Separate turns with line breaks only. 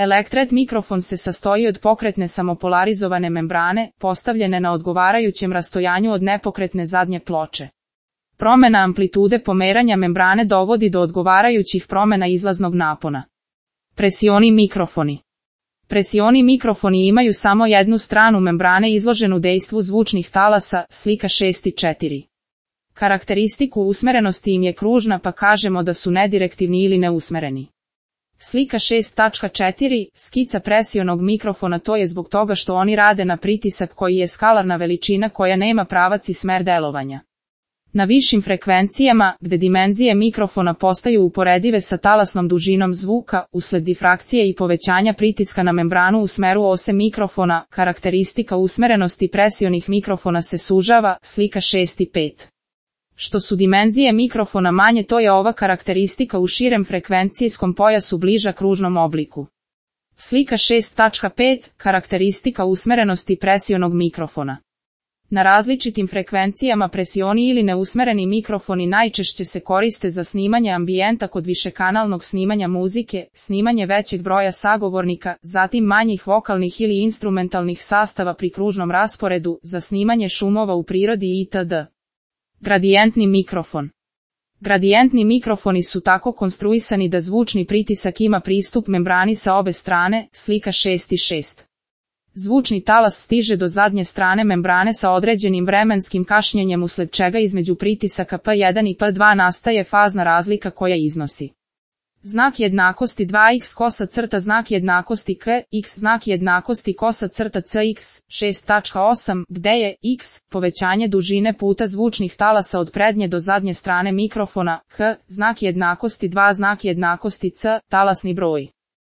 Elektret mikrofon se sastoji od pokretne samopolarizovane membrane, postavljene na odgovarajućem rastojanju od nepokretne zadnje ploče. Promena amplitude pomeranja membrane dovodi do odgovarajućih promena izlaznog napona. Presioni mikrofoni. Presioni mikrofoni imaju samo jednu stranu membrane izloženu dejstvu zvučnih talasa, slika 6.4. Karakteristiku usmerenosti im je kružna, pa kažemo da su nedirektivni ili neusmereni. Slika 6.4. Skica presionog mikrofona. To je zbog toga što oni rade na pritisak koji je skalarna veličina koja nema pravac i smer delovanja. Na višim frekvencijama, gde dimenzije mikrofona postaju uporedive sa talasnom dužinom zvuka, usled difrakcije i povećanja pritiska na membranu u smeru ose mikrofona, karakteristika usmerenosti presionih mikrofona se sužava, slika 6.5. Što su dimenzije mikrofona manje, to je ova karakteristika u širem frekvencijskom pojasu bliža kružnom obliku. Slika 6.5. Karakteristika usmerenosti presionog mikrofona. Na različitim frekvencijama presioni ili neusmereni mikrofoni najčešće se koriste za snimanje ambijenta kod višekanalnog snimanja muzike, snimanje većeg broja sagovornika, zatim manjih vokalnih ili instrumentalnih sastava pri kružnom rasporedu, za snimanje šumova u prirodi itd. Gradijentni mikrofon. Gradijentni mikrofoni su tako konstruisani da zvučni pritisak ima pristup membrani sa obe strane, slika 6.6. Zvučni talas stiže do zadnje strane membrane sa određenim vremenskim kašnjenjem, usled čega između pritisaka P1 i P2 nastaje fazna razlika koja iznosi znak jednakosti 2x kosa crta znak jednakosti k, x znak jednakosti kosa crta cx, 6.8, gde je x povećanje dužine puta zvučnih talasa od prednje do zadnje strane mikrofona, h znak jednakosti 2 znak jednakosti c talasni broj.